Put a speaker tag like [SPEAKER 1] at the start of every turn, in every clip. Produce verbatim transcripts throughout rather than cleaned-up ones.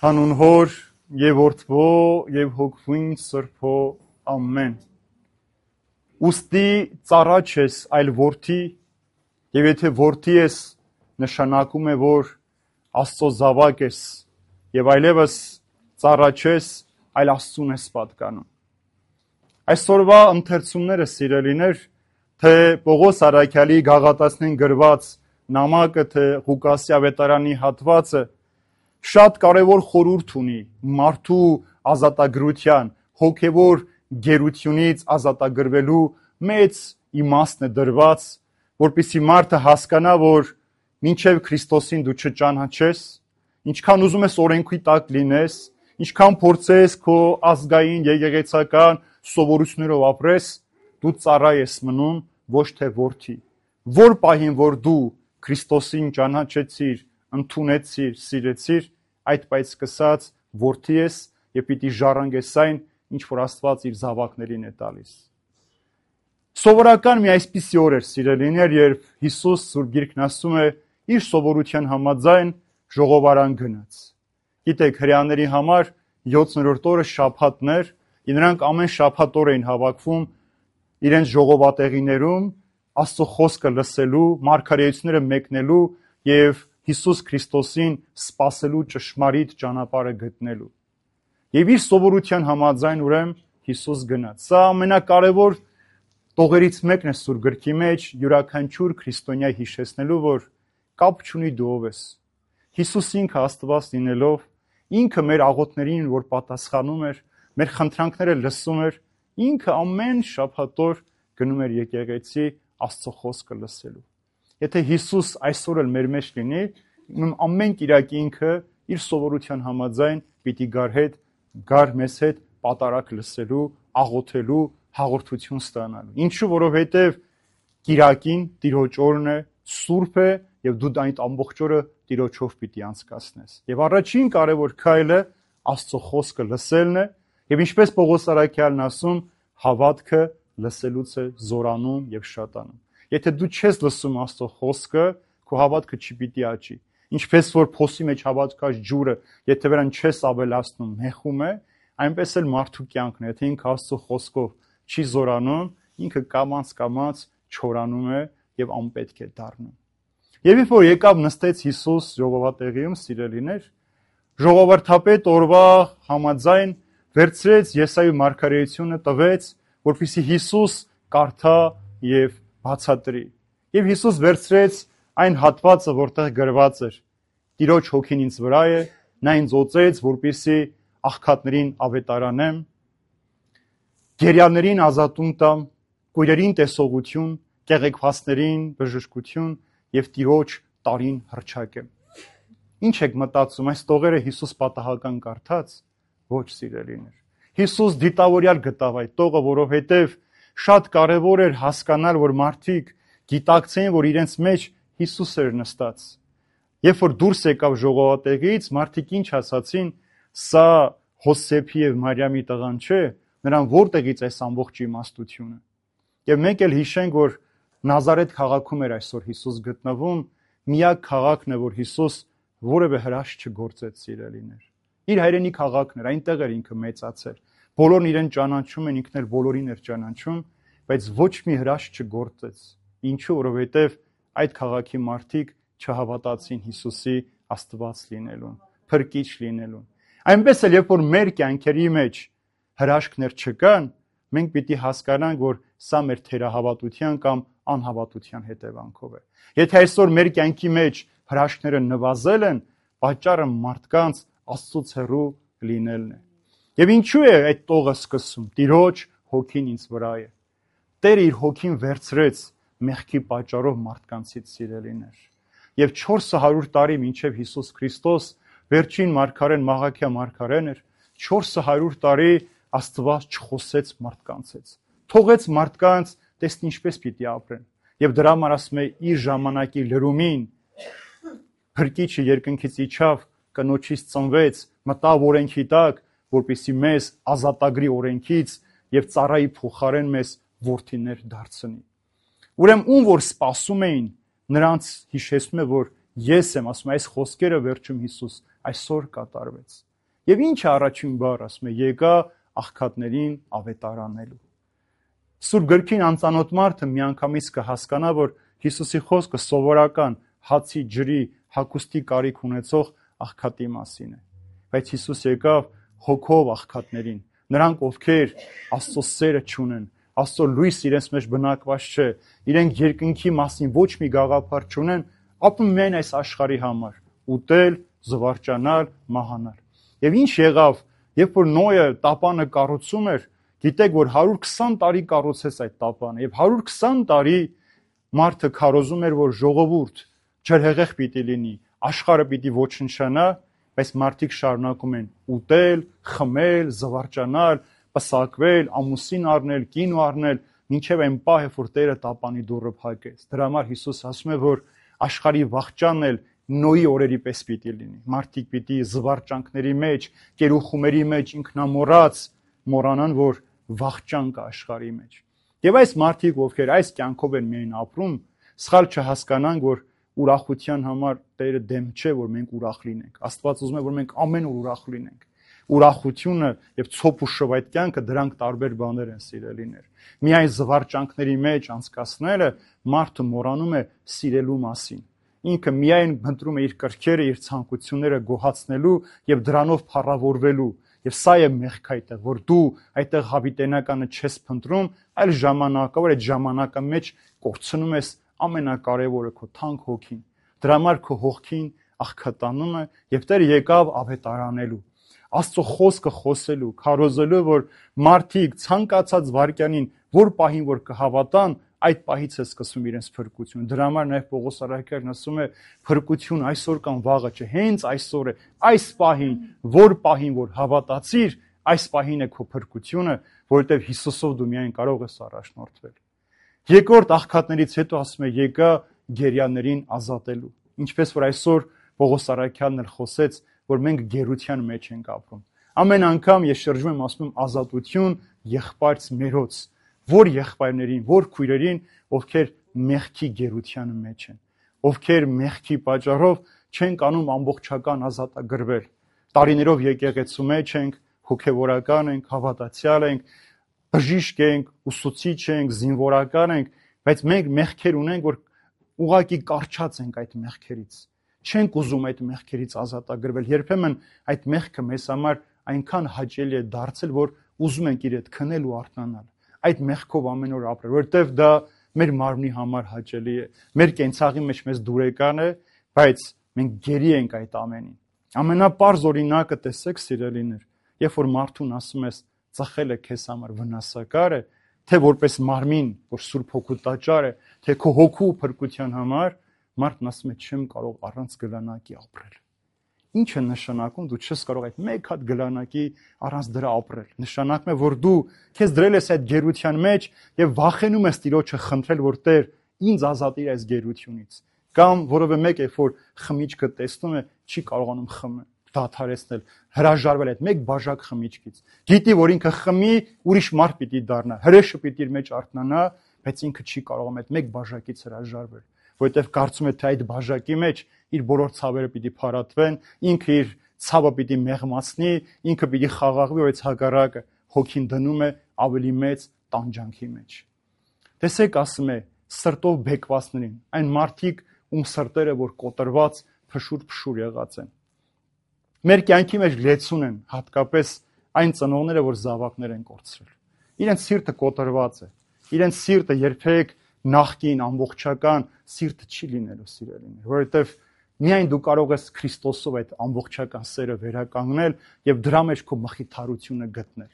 [SPEAKER 1] Հանուն Հոր եւ Որդվո եւ Հոգվին Սրբո ամեն։ Ուստի ծառա չես, այլ որդի, եւ եթե որդի ես, նշանակում է, որ Աստծո զավակ ես, եւ այլևս ծառա չես, այլ Աստծուն ես պատկանում։ Այսօրվա ընթերցումները, սիրելիներ, թե Պողոս Արաքյալի գաղատացնին գրված նամակը, թե Ղուկասի ավետարանի հատվածը շատ կարևոր խորհուրդ ունի մարդու ազատագրության, հոգևոր գերությունից ազատագրվելու մեծ իմաստն է դրված, որպեսզի մարդը հասկանա, որ մինչև Քրիստոսին դու չճանաչես, ինչքան ուզում ես օրենքի տակ լինես, ինչքան փորձես քո ազգային եկեղեցական սովորություններով ապրես, դու ծառա ես մնում, ոչ թե որդի։ Որ պահին, որ դու Քրիստոսին ճանաչեցիր, ընդունեցիր, սիրեցիր, այդ պայծ սկսած որդի ես եւ պիտի ժառանգես այն, ինչ որ Աստված իր զավակներին է տալիս։ Սովորական մի այսպիսի օր էր, սիրելիներ, երբ Հիսուս Սուրբ Գիրքն ասում է իր սովորության համաձայն ժողովարան գնաց։ Գիտեք, հրեաների համար յոթերորդ օրը շաբաթն էր, եւ նրանք ամեն շաբաթ օր էին հավաքվում իրենց ժողովատեղիներում Աստծո խոսքը լսելու, մարգարեությունները մեկնելու եւ Հիսուս Քրիստոսին սպասելու ճշմարիտ ճանապարհը գտնելու։ Եվ իր սովորության համաձայն ուրեմն Հիսուս գնաց։ Սա ամենակարևոր տողերից մեկն է Սուրբ Գրքի մեջ, յուրաքանչյուր քրիստոնյա հիշեցնելու, որ կապ չունի դու ով ես։ Հիսուս ինքը Աստված լինելով, ինքը մեր աղոթներին, որ պատասխանում էր, մեր խնդրանքները լսում էր, ինքը ամեն շաբաթ օր գնում էր եկեղեցի Աստծո խոսքը լսելու։ Եթե Հիսուս այսօր էլ մեր մեջ լինի, ամեն կիրակի ինքը իր սովորության համաձայն պիտի գար հետ, գար մեզ հետ պատարակ լսելու, աղոթելու, հաղորդություն ստանալու։ Ինչու, որովհետև կիրակին Տիրոջ օրն է, սուրբ է եւ դու այդ ամբողջ օրը Տիրոջով պիտի անցկացնես։ Եվ առաջին կարևոր քայլը Աստծո խոսքը լսելն է, եւ ինչպես Պողոս Արաքյալն ասում, հավատքը լսելուց է զորանում եւ շատանում։ Եթե դու չես լսում Աստծո խոսքը, քո հավատքը չպիտի աճի։ Ինչպես որ փոսի մեջ հավատքած ջուրը, եթե վրան չես ավելացնում, մեղում է, այնպես էլ մարդու կյանքն է, եթե ինքը Աստծո խոսքով չի զորանում, ինքը կամաց-կամաց չորանում է եւ անպետք է դառնում։ Եվ երբ որ եկավ նստեց Հիսուս ժողովատեղիում, սիրելիներ, ժողովրդապետ օրվա համաձայն վերցրեց Եսայի մարգարեությունը, տվեց, որպեսզի Հիսուս կարդա եւ բացատրի։ Եվ Հիսուս վերցրեց այն հատվածը, որտեղ գրված էր. Տիրոջ հոգին ինձ վրա է, նա ինձ օծեց, որպեսզի աղքատներին ավետարանեմ, գերիաներին ազատում տամ, կույրերին տեսողություն, կեղեքվածներին բժշկություն եւ Տիրոջ տարին հռչակեմ։ Ինչ եք մտածում, այս տողերը Հիսուս պատահական կարդաց? Ոչ, սիրելիներ։ Հիսուս դիտավորյալ գտավ այդ տողը, որովհետեւ շատ կարևոր էր հասկանալ, որ մարդիկ գիտակցեին, որ իրենց մեջ Հիսուս էր նստած։ Երբ որ դուրս եկավ ժողովատեղից, մարդիկ ինչ ասացին, սա Հոսեփի եւ Մարիամի տղան չէ, նրան որտեղից այս ամբողջ իմաստությունը։ Եվ մենք էլ հիշենք, որ Նազարեթ քաղաքում էր այսօր Հիսուս գտնվում, միակ քաղաքն է, որ Հիսուս որևէ հրաշք չգործեց, սիրելիներ։ Իր հայրենի քաղաքն էր, այնտեղ էր ինքը մեծացել։ Բոլորն իրեն ճանաչում են, ինքն էլ բոլորին էր ճանաչում, բայց ոչ մի հրաշք չգործեց։ Ինչու, որովհետև այդ քաղաքի մարդիկ չհավատացին Հիսուսի Աստված լինելուն, փրկիչ լինելուն։ Այնպես էլ երբ որ մեր կյանքերի մեջ հրաշքներ չկան, մենք պիտի հասկանանք, որ սա մեր թերահավատության կամ անհավատության հետևանքով է։ Եթե այսօր մեր կյանքի մեջ հրաշքները նվազել են, պատճառը մարդկանց Աստծուց հեռու լինելն է։ Եվ ինչու է այդ տողը սկսում. Տիրոջ հոգին ինձ վրա է։ Տերը իր հոգին վերցրեց մեղքի պատճառով մարդկանցից, սիրելիներ։ Եվ չորս հարյուր տարի մինչև Հիսուս Քրիստոս վերջին մարգարեն Մաղաքիա մարգարեն էր, չորս հարյուր տարի Աստված չխոսեց մարդկանց հետ։ Թողեց մարդկանց տեսնի ինչպես պիտի ապրեն։ Եվ դրա համար ասում է իր ժամանակի լրումին Փրկիչը երկնքից իջավ, կնոջից ծնվեց, մտավ օրենքի տակ, որպեսզի մեզ ազատագրի օրենքից եւ ծառայի փոխարեն մեզ որդիներ դարձնի։ Ուրեմն ում որ սպասում էին, նրանց հիշեցնում է, որ ես եմ, ասում այս խոսքերը վերջում Հիսուս այսօր կատարվեց։ Եվ ինչ է առաջին բառը, ասում է, եկա աղքատներին ավետարանելու։ Սուրբ գրքին անծանոթ մարդը միանգամից կհասկանա, որ Հիսուսի խոսքը սովորական հացի, ջրի, հագուստի կարիք ունեցող աղքատի մասին է։ Բայց Հիսուս եկավ հոգով աղքատներին, նրանք, ովքեր Աստծո սերը չունեն, Աստծո լույս իրենց մեջ բնակված չէ, իրենք երկնքի մասին ոչ մի գաղափար չունեն, ապրում միայն այս աշխարհի համար՝ ուտել, զվարճանալ, մահանալ։ Եվ ինչ եղավ, երբ որ Նոյը տապանը կառուցում էր, գիտեք, որ հարյուր քսան տարի կառուցեց այդ տապանը, եւ հարյուր քսան տարի մարդը քարոզում էր, որ ժողովուրդ ջրհեղեղ պիտի լինի, աշխարհը պիտի ոչնչանա, բայց մարդիկ շարունակում են ուտել, խմել, զվարճանալ, պսակվել, ամուսին առնել, կին առնել, մինչև այն պահը, որ Տերը տապանի դուռը փակեց։ Դրա համար Հիսուս ասում է, որ աշխարհի վախճանն էլ Նոյի օրերի պես պիտի լինի։ Մարդիկ պիտի զվարճանքների մեջ, կերուխումերի մեջ ինքնամոռաց մոռանան, որ վախճան կա աշխարհի մեջ։ Եվ այս մարդիկ, ովքեր այս կյանքով են միայն ապրում, սխալ չհասկանան, որ ուրախության համար Տերը դեմ չէ, որ մենք ուրախ լինենք։ Աստված ուզում է, որ մենք ամեն օր ուրախ լինենք։ Ուրախությունը եւ ցոփ ու շով այդ կյանքը դրանք տարբեր բաներ են, սիրելիներ։ Միայն զվարճանքների մեջ անցկացնելը մարդը մոռանում է սիրելու մասին։ Ինքը միայն ընտրում է իր կրքերը, իր ցանկությունները գոհացնելու եւ դրանով փառավորվելու։ Եվ սա է մեղքը այդտեղ, որ դու այդտեղ հավիտենականը չես փնտրում, այլ ժամանակը, որ այդ ժամանակը մեջ կորցնում ես ամենակարևորը քո թանկ հոգին։ Դրա համար քո հոգին աղքատանում է եւ Տերը եկավ ավետարանելու։ Աստծո խոսքը խոսելու, քարոզելու, որ մարդիկ ցանկացած վարքյանին, որ պահին որ կհավատան, այդ պահից է սկսում իրենց փրկությունը։ Դրա համար նաև Պողոս առաքյալն ասում է, փրկություն այսօր կամ վաղը չէ, հենց այսօր է, այս պահին, որ պահին որ հավատացիր, այս պահին է քո փրկությունը, որովհետև Հիսուսով դու միայն կարող ես առաջնորդվել։ Երկրորդ աղքատներից հետո ասում է, եկա գերիաներին ազատելու։ Ինչպես որ այսօր Պողոս առաքյալն էլ խոսեց, որ մենք գերության մեջ ենք ապրում։ Ամեն անգամ ես շրջում եմ ասում ազատություն եղբայրց մերոց, որ եղբայրներին, որ քույրերին, ովքեր մեղքի գերության մեջ են, ովքեր մեղքի պատճառով չեն կանում ամբողջական ազատագրվել։ Տարիներով եկեղեցու մեջ ենք, հոգևորական ենք, հավատացյալ ենք, բժիշկ ենք, ուսուցիչ ենք, զինվորական ենք, բայց մենք մեղքեր ունենք, որ ուղղակի կարճած ենք այդ մեղքերից։ Չենք ուզում այդ մեղքերից ազատագրվել։ Երբեմն այդ մեղքը մեզ համար այնքան հաճելի է դարձել, որ ուզում ենք իր հետ քնել ու արթնանալ։ Այդ մեղքով ամեն օր ապրել, որովհետև դա մեր մարմնի համար հաճելի է։ Մեր կենցաղի մեջ մեզ դուրեկան է, բայց մենք գերի ենք այդ ամենին։ Ամենապարզ օրինակը տեսեք, սիրելիներ, երբ որ մարդուն ասում ես ծխելը քեզ համար վնասակար է, թե որպես մարմին, որ Սուրբ Հոգու տաճար է, թե քո հոգու փրկության համար, մարդն ասում է չեմ կարող առանց գլանակի ապրել։ Ինչ է նշանակում, դու չես կարող այդ մեկ հատ գլանակի առանց դրա ապրել։ Նշանակում է, որ դու քեզ դրել ես այդ գերության մեջ եւ վախենում ես Տիրոջը խնդրել, որ Տեր ինձ ազատիր այս գերությունից։ Կամ որովե մեկ է, որ խմիչքը տեսնում է, չի կարողանում խմել, դադարեցնել, հրաժարվել այդ մեկ բաժակ խմիչքից։ Գիտի, որ ինքը խմի, ուրիշ մարդ պիտի դառնա, հրեշը պիտի իր մեջ արթնանա, բայց ինքը չի կարողանում այդ մեկ բաժակից հրաժարվել, որովհետև կարծում է, թե այդ բաժակի մեջ իր բոլոր ցավերը պիտի փարատվեն, ինքը իր ցավը պիտի մեղմացնի, ինքը պիտի խաղաղվի, բայց հակառակը հոգին դնում է ավելի մեծ տանջանքի մեջ։ Տեսեք, ասում է, սրտով բեկվածներին, այն մարդիկ, ում սրտերը որ կոտրված, փշուր-փշուր եղած են։ Մեր կյանքի մեջ լեցուն են, հատկապես այն ծնողները, որ զավակներ են կորցրել։ Իրենց սիրտը կոտրված է, իրենց սիրտը երբեք նախկին ամբողջական սիրտը չի լինելու, սիրելիներ, որովհետև միայն դու կարող ես Քրիստոսով այդ ամբողջական սերը վերականգնել եւ դրա մեջ քո մխիթարությունը գտնել։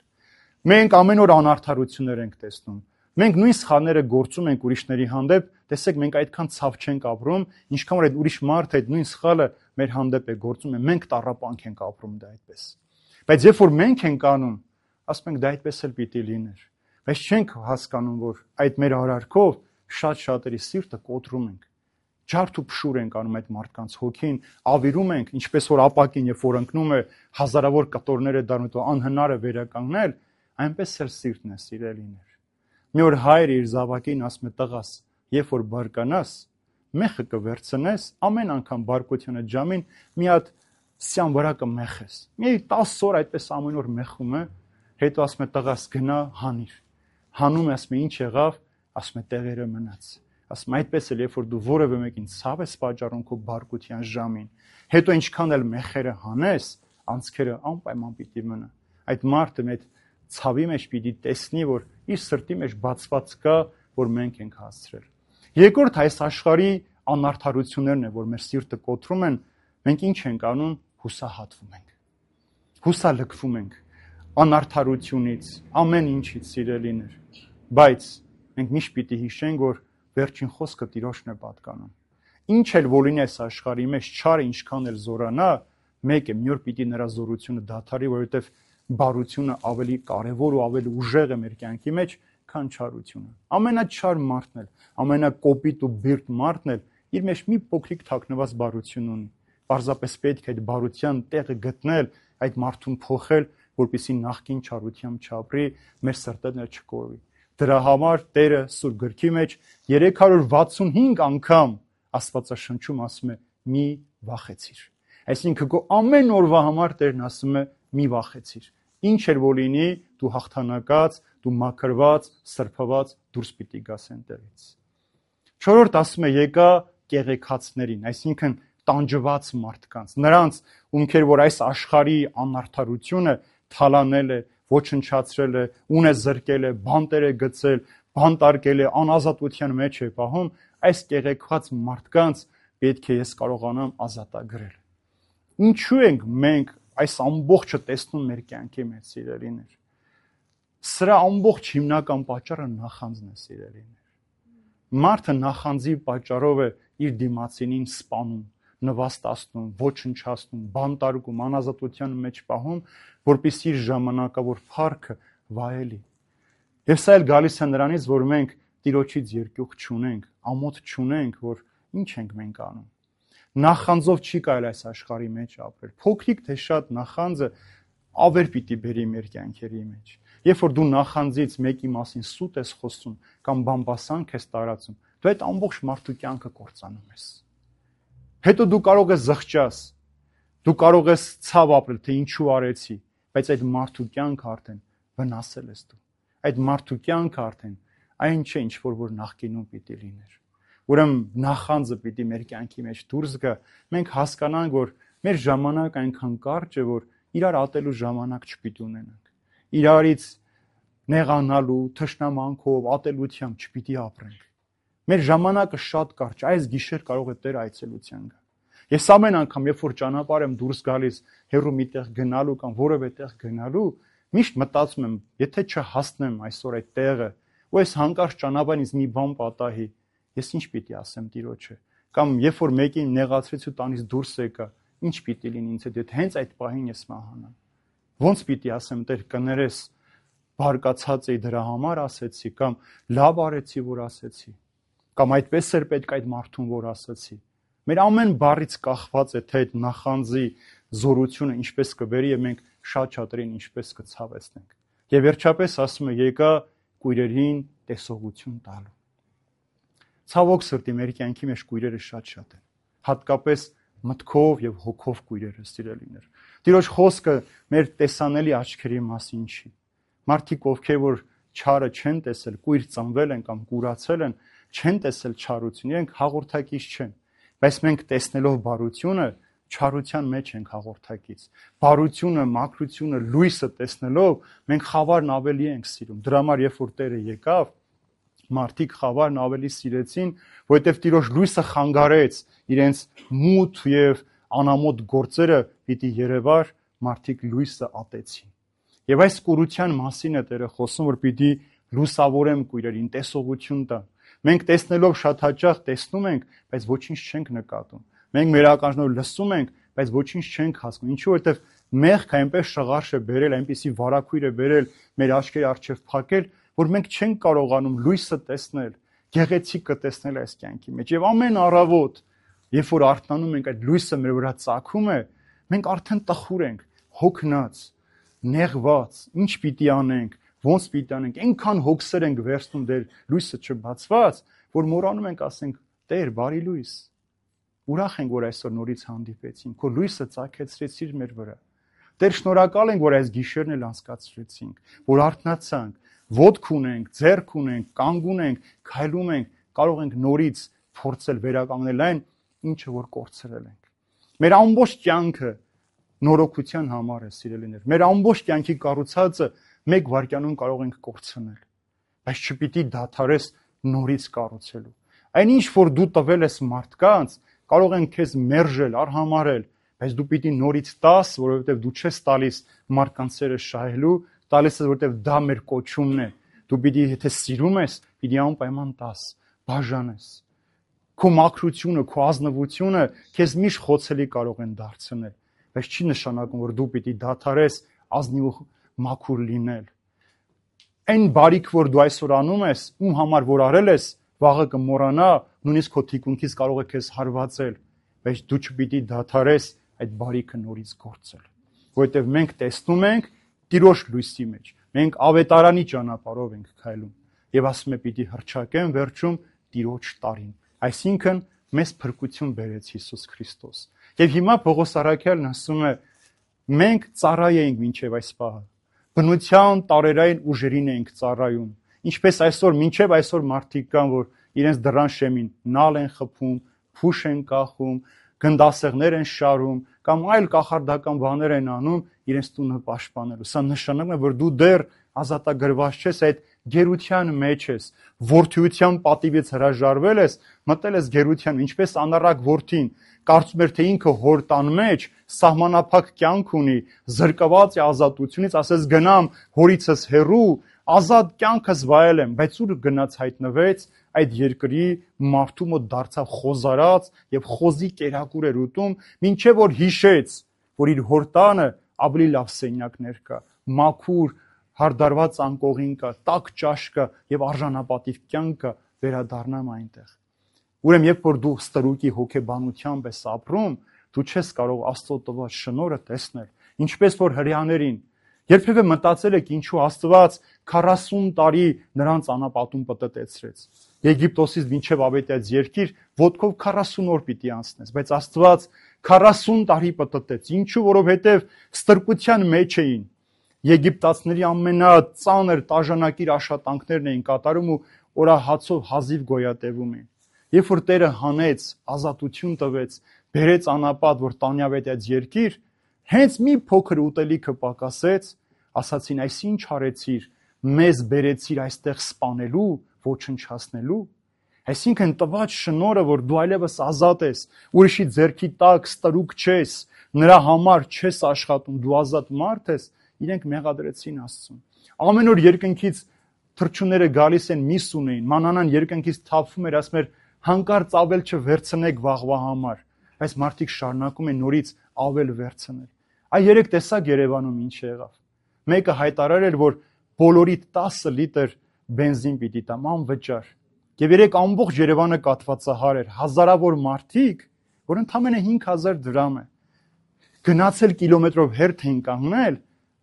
[SPEAKER 1] Մենք ամեն օր անարդարություններ ենք տեսնում։ Մենք նույն սխալները գործում ենք ուրիշների հանդեպ, տեսեք, մենք այդքան ցավ չենք ապրում, ինչքան որ այդ ուրիշ մարդը այդ նույն սխալը մեր հանդեպ է գործում, մենք տառապանք ենք ապրում դա այդպես։ Բայց երբ որ մենք ենք անում, ասում ենք դա այդպես էլ պիտի լիներ։ Բայց չենք հասկանում, որ այդ մեր արարքով շատ-շատերի սիրտը կոտրում ենք։ Ջարդ ու փշուր ենք անում այդ մարդկանց հոգին, ավիրում ենք, ինչպես որ ապակին, երբ որ ընկնում է հազարավոր կտորներ է դառնում, ու անհնար է վերականգնել, այնպես էլ սիրտն է, սիրելիներ։ Մի օր հայրը իր զավակին ասում է, տղաս, երբ որ բարկանաս, մեխը կվերցնես, ամեն անգամ բարկությունը ջամին մի հատ սյան վրա կմեխես։ Մի տասը օր այդպես ամեն օր մեխում է, հետո ասում է տղաս գնա հանիր։ Հանում է, ասում է ինչ եղավ, ասում է տեղերը մնաց։ Ասում այդպես էլ երբ որ դու որևէ մեկին ցավ ես պատճառում քո բարկության ժամին, հետո ինչքան էլ մեխերը հանես, անցքերը անպայման պիտի մնա։ Այդ մարդը մեծ ցավի մեջ պիտի տեսնի, որ իր սրտի մեջ բացված կա, որ մենք ենք հասցրել։ Երկրորդ այս աշխարհի անարդարություններն է, որ մեր սիրտը կոտրում են, մենք ինչ ենք անում, հուսահատվում ենք։ Հուսալքվում ենք անարդարությունից, ամեն ինչից, սիրելիներ։ Բայց մենք միշտ պիտի հիշենք, որ վերջին խոսքը Տիրոջն է պատկանում։ Ինչ էլ որ լինի այս աշխարհի մեջ, չարը ինչքան էլ զորանա, մեկ է, մի օր պիտի նրա զորությունը դադարի, որովհետև բարությունը ավելի կարևոր ու ավելի ուժեղ է մեր կյանքի մեջ, քան չարությունը։ Ամենաչար մարդն էլ, ամենակոպիտ ու բիրտ մարդն էլ իր մեջ մի փոքրիկ թաքնված բարություն ունի։ Պարզապես պետք է այդ բարության տեղը գտնել, այդ մարդուն փոխել, որպեսզի նախկին չարությամբ չապրի, մեր սրտերը չկորվի։ Դրա համար Տերը Սուրբ Գրքի մեջ երեք հարյուր վաթսունհինգ անգամ Աստվածաշնչում ասում է՝ մի վախեցիր։ Այսինքն քո ամեն օրվա համար Տերն ասում է՝ մի վախեցիր։ Ինչ էլ որ լինի, դու հաղթանակած, դու մաքրված, սրբված դուրս պիտի գաս այնտեղից։ Չորրորդ ասում է՝ եկա կեղեքածներին, այսինքն տանջված մարդկանց, նրանց, ովքեր որ այս աշխարհի անարդարությունը թալանել է, ոչնչացրել է, ունե զրկել է, բանտեր է գցել, բանտարկել է, անազատության մեջ է պահում, այս կեղեքված մարդկանց պետք է ես կարողանամ ազատագրել։ Ինչու ենք մենք այս ամբողջը տեսնում մեր կյանքի մեջ, սիրելիներ։ Սրա ամբողջ հիմնական պատճառը նախանձն է, սիրելիներ։ Մարդը նախանձի պատճառով է իր դիմացինին սպանում, նվաստացնում, ոչնչացնում, բանտարկում, անազատության մեջ պահում, որպեսզի իր ժամանակավոր փառքը վայելի։ Եվ սա էլ գալիս է նրանից, որ մենք Տիրոջից երկյուղ չունենք, ամոթ չունենք, որ ինչ ենք մենք անում։ Նախանձով չի կարելի այս աշխարհի մեջ ապրել։ Փոքրիկ թե շատ նախանձը ավեր պիտի բերի մեր կյանքերի մեջ։ Երբ որ դու նախանձից մեկի մասին սուտ ես խոսում կամ բամբասանք ես տարածում, դու այդ ամբողջ մարդու կյանքը կործանում ես։ Հետո դու կարող ես զղջաս, դու կարող ես ցավ ապրել, թե ինչու արեցի, բայց այդ մարդու կյանքը արդեն վնասել ես դու։ Այդ մարդու կյանքը արդեն այն չէ, ինչ որ որ նախկինում պիտի լիներ։ Ուրեմն նախանձը պիտի մեր կյանքի մեջ դուրս գա, մենք հասկանանք, որ մեր ժամանակ այնքան կարճ է, որ իրար ատելու ժամանակ չպիտի ունենանք։ Իրարից նեղանալու, թշնամանքով, ատելությամբ չպիտի ապրենք։ Մեր ժամանակը շատ կարճ, այս գիշեր կարող է Տեր այցելության գա։ Ես ամեն անգամ, երբ որ ճանապարհ եմ դուրս գալիս, հեռու մի տեղ գնալու կամ որևէ տեղ գնալու, միշտ մտածում եմ, եթե չհասնեմ այսօր այդ տեղը, ու այս հանկարծ ճանապարհից մի բան պատահի, ես ինչ պիտի ասեմ Տիրոջը, կամ երբ որ մեկին նեղացրեց ու տանից դուրս եկա, ինչ պիտի լինի ինձ հետ, եթե հենց այդ պահին ես մահանամ։ Ոնց պիտի ասեմ, Տեր, կներես, բարկացած էի դրա համար ասեցի, կամ լավ արեցի, որ ասեցի, կամ այդպես էր պետք այդ մարդուն, որ ասեցի։ Մեր ամեն բառից կախված է, թե այդ նախանձի զորությունը ինչպես կբերի եւ մենք շատ շատերին ինչպես կցավեցնենք։ Եվ վերջապես ասում է՝ եկա կույրերին տեսողություն տալու։ Ցավոք սրտի մեր կյանքի մեջ կույրերը շատ-շատ են, հատկապես մտքով եւ հոգով կույրերը, սիրելիներ։ Տիրոջ խոսքը մեր տեսանելի աչքերի մասին չի։ Մարդիկ, ովքեր որ չարը չեն տեսել, կույր ծնվել են կամ կուրացել են, չեն տեսել չարություն, իրենք հաղորդակից չեն։ Բայց մենք տեսնելով բարությունը, չարության մեջ ենք հաղորդակից։ Բարությունը, մաքրությունը, լույսը տեսնելով մենք խավարն ավելի ենք սիրում։ Դրա համար երբ որ Տերը եկավ, մարդիկ խավարն ավելի սիրեցին, որովհետև Տիրոջ լույսը խանգարեց իրենց մութ եւ անամոթ գործերը պիտի երևար, մարդիկ լույսը ատեցին։ Եվ այս կուրության մասին է Տերը խոսում, որ պիտի լուսավորեմ կույրերին, տեսողություն տա։ Մենք տեսնելով շատ հաճախ տեսնում ենք, բայց ոչինչ չենք նկատում։ Մենք մեր ականջներով լսում ենք, բայց ոչինչ չենք հասկանում։ Ինչու՞ որովհետև մեղքը այնպես շղարշ է բերել, այնպեսի վարակույր է բերել մեր աչքերի առջև փակել, որ մենք չենք կարողանում լույսը տեսնել, գեղեցիկը տեսնել այս կյանքի մեջ։ Եվ ամեն առավոտ, երբ որ արթնանում ենք, այդ լույսը մեր վրա ծագում է, մենք արդեն տխուր ենք, հոգնած, նեղված, ինչ պիտի անենք, ոնց պիտի անենք, այնքան հոգսեր ենք վերցնում դեր լույսը չբացված, որ մոռանում ենք ասենք՝ Տեր, բարի լույս։ Ուրախ ենք, որ այսօր նորից հանդիպեցինք, քո լույսը ծագեցրեցիր մեր վրա։ Տեր, շնորհակալ ենք, որ այս գիշերն էլ անցկացրեցինք, որ արթնացանք, ոտք ունենք, ձեռք ունենք, կանգ ունենք, քայլում ենք, կարող ենք նորից փորձել վերականգնել այն, ինչը որ կորցրել ենք։ Մեր ամբողջ կյանքը նորոգության համար է, սիրելիներ։ Մեր ամբողջ կյանքի կառուցածը մեկ վայրկյանում կարող ենք կորցնել, բայց չպիտի դադարես նորից կառուցելու։ Այնինչ որ դու տվել ես մարդկանց, կարող են քեզ մերժել, արհամարել, բայց դու պիտի նորից տաս, որովհետև դու չես տալիս մարդկանց սերը շահելու, տալիս ես, որովհետև դա մեր կոչումն է։ Դու պիտի, եթե սիրում ես, պիտի անպայման տաս, բաժանես։ Քո մաքրությունը, քո ազնվությունը քեզ միշտ խոցելի կարող են դարձնել, բայց չի նշանակում, որ դու պիտի դադարես ազնիվ ու մաքուր լինել։ Այն բարիք, որ դու այսօր անում ես, ում համար որ արել ես, վաղը կմոռանա, նույնիսկ քո թիկունքից կարող է քեզ հարվածել, բայց դու չպիտի դադարես այդ բարիքը նորից գործել, որովհետև մենք տեսնում ենք Տիրոջ լույսի մեջ, մենք ավետարանի ճանապարհով ենք քայլում եւ ասում է պիտի հռչակեն վերջում Տիրոջ տարին, այսինքն մեզ փրկություն բերեց Հիսուս Քրիստոս։ Եվ հիմա Պողոս առաքյալն ասում է մենք ծառայ ենք մինչև այս պահը, բնության տարերային ուժերին ենք ծառայում, ինչպես այսօր մինչև այսօր մարդիկ կան, որ իրենց դռան շեմին նալ են խփում, փուշ են կախում, գնդասեղներ են շարում կամ այլ կախարդական բաներ են անում իրենց տունը պաշտպանելու։ Սա նշանակում է, որ դու դեռ ազատագրված չես, այդ գերության մեջ ես, որդիության պատիվից հրաժարվել ես, մտել ես գերության, ինչպես անառակ որդին, կարծում էր թե ինքը հոր տան մեջ սահմանափակ կյանք ունի, զրկված է ազատությունից, ասես գնամ հորիցս հեռու, ազատ կյանքս վայելեմ, բայց ուր գնաց հայտնվեց այդ երկրի մարդու մոտ դարձավ խոզարած եւ խոզի կերակուր էր ուտում, մինչեւ որ հիշեց, որ իր հոր տանը ավելի լավ սենյակներ կա, մաքուր հարդարված անկողին կա, տաք ճաշ կա եւ արժանապատիվ կյանք կա, վերադառնամ այնտեղ։ Ուրեմն երբ որ դու ստրուկի հոգեբանությամբ ես ապրում, դու չես կարող Աստծո տված շնորհը տեսնել, ինչպես որ հրեաներին երբևէ մտածել եք ինչու Աստված քառասուն տարի նրանց անապատում պտտեցրեց։ Եգիպտոսից մինչև Ավետաց երկիր ոտքով քառասուն օր պիտի անցնես, բայց Աստված քառասուն տարի պտտեց։ Ինչու, որովհետև ստրկության մեջ էին։ Եգիպտացիների ամենածանր տաժանակիր աշխատանքներն էին կատարում ու օրահացով հազիվ գոյատևում էին։ Երբ որ Տերը հանեց, ազատություն տվեց, բերեց անապատ, որ տանի Ավետաց երկիր, հենց մի փոքր ուտելիքը պակասեց, ասացին, այս ինչ արեցիր, մեզ բերեցիր այստեղ սպանելու, ոչնչացնելու։ Այսինքն տված շնորհը, որ դու այլևս ազատ ես, ուրիշի ձեռքի տակ ստրուկ չես, նրա համար չես աշխատում, դու ազատ մարդ ես, իրենք մեղադրեցին Աստծուն։ Ամեն օր երկնքից թռչունները գալիս են միս ունեին, մանանան երկնքից թափվում էր, ասում էր հանկարծ ավել չվերցնեք վաղվա համար, բայց մարդիկ շարունակում են նորից ավել վերցնել։ Այ երեք տեսակ Երևանում ինչ եղավ։ Մեկը հայտարարել, որ բոլորիդ տասը լիտր բենզին պիտի տամ անվճար։ Եվ երեք ամբողջ Երևանը կաթվածահար էր, հազարավոր մարդիկ, որ ընդամենը հինգ հազար դրամ է։ Գնացել կիլոմետրով հերթ են կանգնել,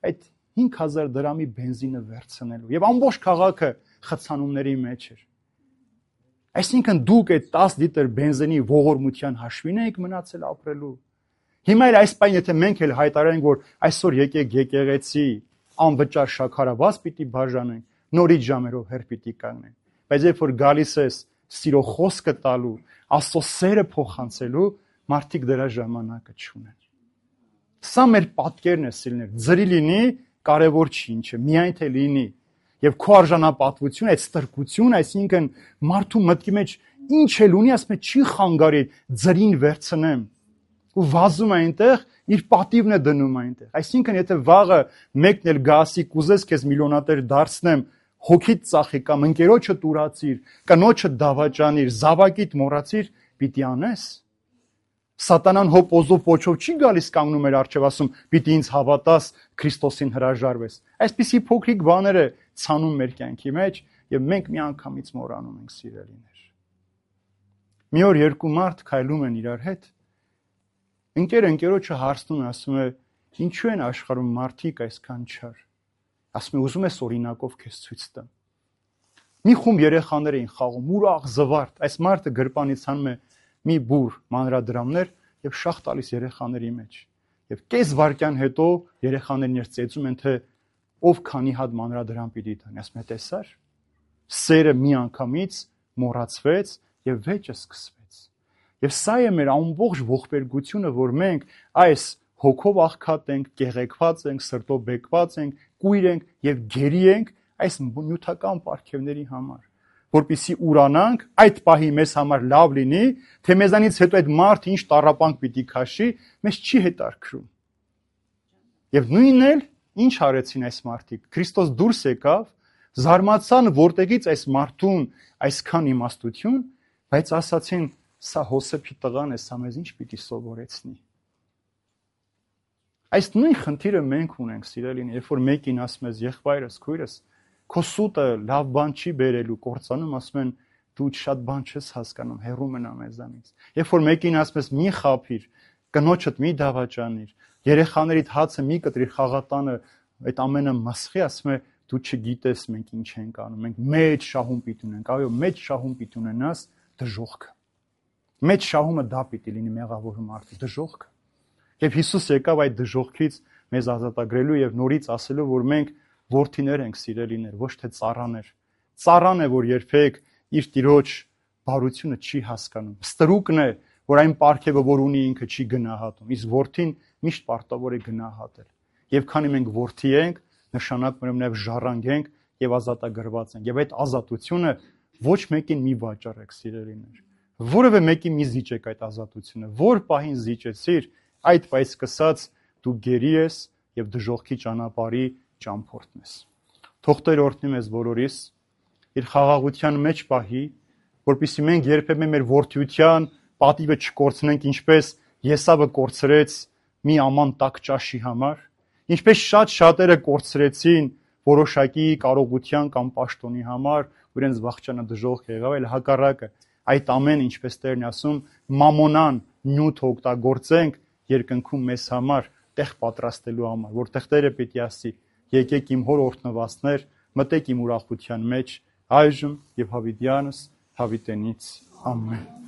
[SPEAKER 1] այդ հինգ հազար դրամի բենզինը վերցնելու։ Եվ ամբողջ քաղաքը խցանումների մեջ էր։ Այսինքն դուք այդ տասը լիտր բենզինի ողորմության հաշվին եք մնացել ապրելու։ Հիմա էլ այս պայն, եթե մենք էլ հայտարարենք, որ այսօր եկեք եկեղեցի, անվճար շաքարավազ պիտի բաժանենք, նորից ժամերով հեր պիտի կանգնենք։ Բայց երբ որ գալիս ես սիրո խոսքը տալու, Աստծո սերը փոխանցելու, մարդիկ դրա ժամանակը չունեն։ Սա մեր պատկերն է, սիրելիներ, ձրի լինի, կարևոր չի ինչ է, միայն թե լինի։ Եվ քո արժանապատվությունը, այդ ստրկությունը, այսինքն մարդու մտքի մեջ ինչ էլ ունի, ասում է չի խանգարի ձրին վերցնեմ։ Ու վազում է այնտեղ, իր պատիվն է դնում այնտեղ։ Այսինքն եթե վաղը մեկն էլ գասի կուզես քեզ միլիոնատեր դարձնեմ, հոգիդ ծախի կամ ընկերոջը տուրացիր, կնոջը դավաճանիր, զավակիդ մոռացիր, պիտի անես։ Սատանան հոп օզով փոչով չի գալիս կանգնում էր արջև ասում, պիտի ինձ հավատաս, Քրիստոսին հրաժարվես։ Այսպիսի փոքրիկ բաներ է ցանում մեր կյանքի մեջ եւ մենք միանգամից մոռանում ենք, սիրելիներ։ Մի օր երկու մարդ քայլում են իրար հետ։ Ընկերը ընկերոջը հարցնում է, ասում է, ինչու են աշխարհում մարդիկ այսքան չար։ Ասում է, ուզում ես օրինակով քեզ ցույց տամ։ Մի խումբ երեխաներ էին խաղում, ուրախ զվարթ, այս մարդը գրպանից հանում է մի բուր մանրադրամներ եւ շաղ տալիս երեխաների մեջ։ Եվ կես վայրկյան հետո երեխաներն իրենց ծեծում են, թե ով քանի հատ մանրադրամ պիտի տանի։ Ասում է, տեսար, սերը մի անգամից մոռացվեց եւ վեճը սկսվեց։ Եվ սա է մեր ամբողջ ողբերգությունը, որ մենք այս հոգով աղքատ ենք, կեղեքված ենք, սրտով բեկված ենք, կույր ենք եւ գերի ենք այս նյութական պարգևների համար, որպեսզի ուրանանք, այդ պահի մեզ համար լավ լինի, թե մեզանից հետո այդ մարդը ինչ տառապանք պիտի քաշի, մեզ չի հետարքրում։ Եվ նույնն էլ ինչ արեցին այս մարդիկ։ Քրիստոս դուրս եկավ, զարմացան, որտեղից այս մարդուն այսքան իմաստություն, բայց ասացին, սա Հոսեփի տղան է, սա մեզ ինչ պիտի սովորեցնի։ Այս նույն խնդիրը մենք ունենք, սիրելին, երբ որ մեկին ասում ես եղբայրս, քույրս, քո սուտը լավ բան չի բերելու, կործանում, ասում են դու շատ բան չես հասկանում, հեռու մնա մեզանից։ Երբ որ մեկին ասում ես մի խափիր, կնոջդ մի դավաճանիր, երեխաներիդ հացը մի կտրիր խաղատանը, այդ ամենը մասխի, ասում է դու չգիտես մենք ինչ ենք անում, մենք մեծ շահում պիտի ունենք, այո, մեծ շահում պիտի ունենաս դժոխքը։ Մեծ շահումը դա պիտի լինի մեղավոր մարդու դժոխքը։ Եվ Հիսուս եկավ այդ դժոխքից մեզ ազատագրելու եւ նորից ասելու, որ մենք որդիներ ենք, սիրելիներ, ոչ թե ծառաներ։ Ծառան է, որ երբեք իր տիրոջ բարությունը չի հասկանում։ Ստրուկն է, որ այն պարգևը, որ ունի ինքը չի գնահատում։ Իսկ որդին միշտ պարտավոր է գնահատել։ Եվ քանի մենք որդի ենք, նշանակում է նաև ժառանգենք եւ ազատագրված ենք։ Եվ այդ ազատությունը ոչ մեկին մի վաճառեք, սիրելիներ։ Որևէ մեկին մի զիջեք այդ ազատությունը։ Որ պահին զիջեցիր, այդ պայծ սկսած դու գերի ես եւ դժոխքի ճանապարհի ճամփորդն ես։ Թող Տեր օրհնի մեզ բոլորիս իր խաղաղության մեջ պահի, որպեսզի մենք երբեմն մեր որդիության պատիվը չկորցնենք, ինչպես Եսավը կորցրեց մի աման տաք ճաշի համար, ինչպես շատ շատերը կորցրեցին որոշակի կարողության կամ պաշտոնի համար, որ իրենց վախճանը դժոխք եղավ, այլ հակառակը, այդ ամեն, ինչպես Տերն է ասում, մամոնան նյութ օգտագործենք երկնքում մեզ համար տեղ պատրաստելու համար, որտեղ Տերը պիտի ասի. եկեք իմ հոր օրհնվածներ, մտեք իմ ուրախության մեջ, այժմ եւ հավիտյանս հավիտենից ամեն։